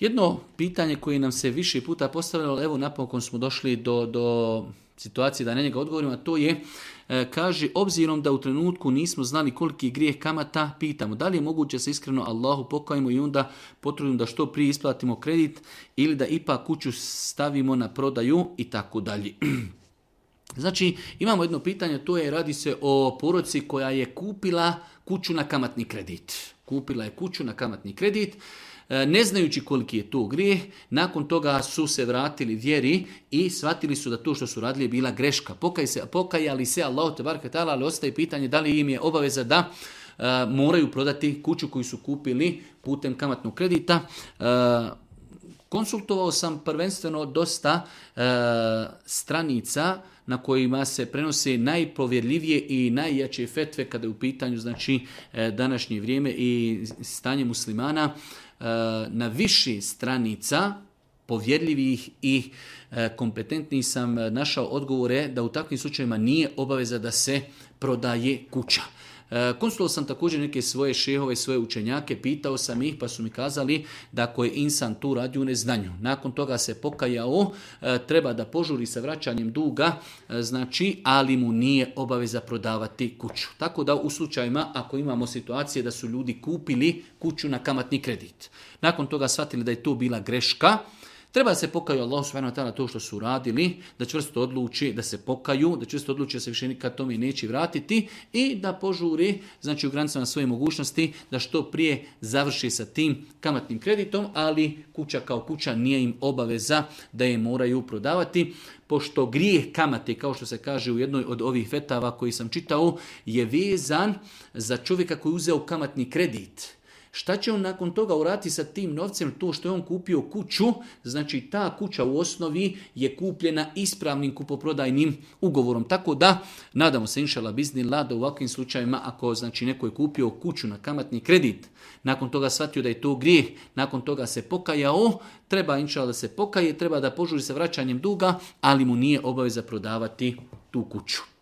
Jedno pitanje koje nam se više puta postavljalo, evo napokon smo došli do situacije da na njega odgovorimo, a to je, kaže, obzirom da u trenutku nismo znali koliki je grijeh kamata, pitamo da li je moguće se iskreno Allahu pokajemo i onda potrudimo da što prije isplatimo kredit ili da ipak kuću stavimo na prodaju i tako dalje. Znači, imamo jedno pitanje, to je, radi se o porodici koja je kupila kuću na kamatni kredit. Kupila je kuću na kamatni kredit, ne znajući koliki je to grijeh, nakon toga su se vratili vjeri i shvatili su da to što su radili je bila greška. Pokajali se Allahu tebareke ta'ala, ali ostaje pitanje da li im je obaveza da moraju prodati kuću koju su kupili putem kamatnog kredita. Konsultovao sam prvenstveno dosta stranica na kojima se prenose najpovjerljivije i najjače fetve kada je u pitanju, znači, današnje vrijeme i stanje muslimana. Na više stranica povjerljivih i kompetentnih sam našao odgovore da u takvim slučajevima nije obaveza da se prodaje kuća. Konsultovao sam također neke svoje šehove, svoje učenjake, pitao sam ih pa su mi kazali da ako je insan tu radi u neznanju, nakon toga se pokajao, treba da požuri sa vraćanjem duga, znači, ali mu nije obaveza prodavati kuću. Tako da u slučajima ako imamo situacije da su ljudi kupili kuću na kamatni kredit, nakon toga shvatili da je to bila greška, treba se pokaju Allah subhanahu wa ta'ala to što su radili, da čvrsto odluči da se pokaju, da čvrsto odluči da se više nikad tome neće vratiti i da požuri, znači u granicama svoje mogućnosti, da što prije završi sa tim kamatnim kreditom, ali kuća kao kuća nije im obaveza da je moraju prodavati, pošto grijeh kamate, kao što se kaže u jednoj od ovih fetava koji sam čitao, je vezan za čovjeka koji je uzeo kamatni kredit. Šta će on nakon toga uraditi sa tim novcem? To što je on kupio kuću, znači ta kuća u osnovi je kupljena ispravnim kupoprodajnim ugovorom. Tako da, nadamo se inšala biznillah da u ovakvim slučajima, ako znači neko je kupio kuću na kamatni kredit, nakon toga shvatio da je to grijeh, nakon toga se pokajao, treba inšala da se pokaje, treba da požuri sa vraćanjem duga, ali mu nije obaveza prodavati tu kuću.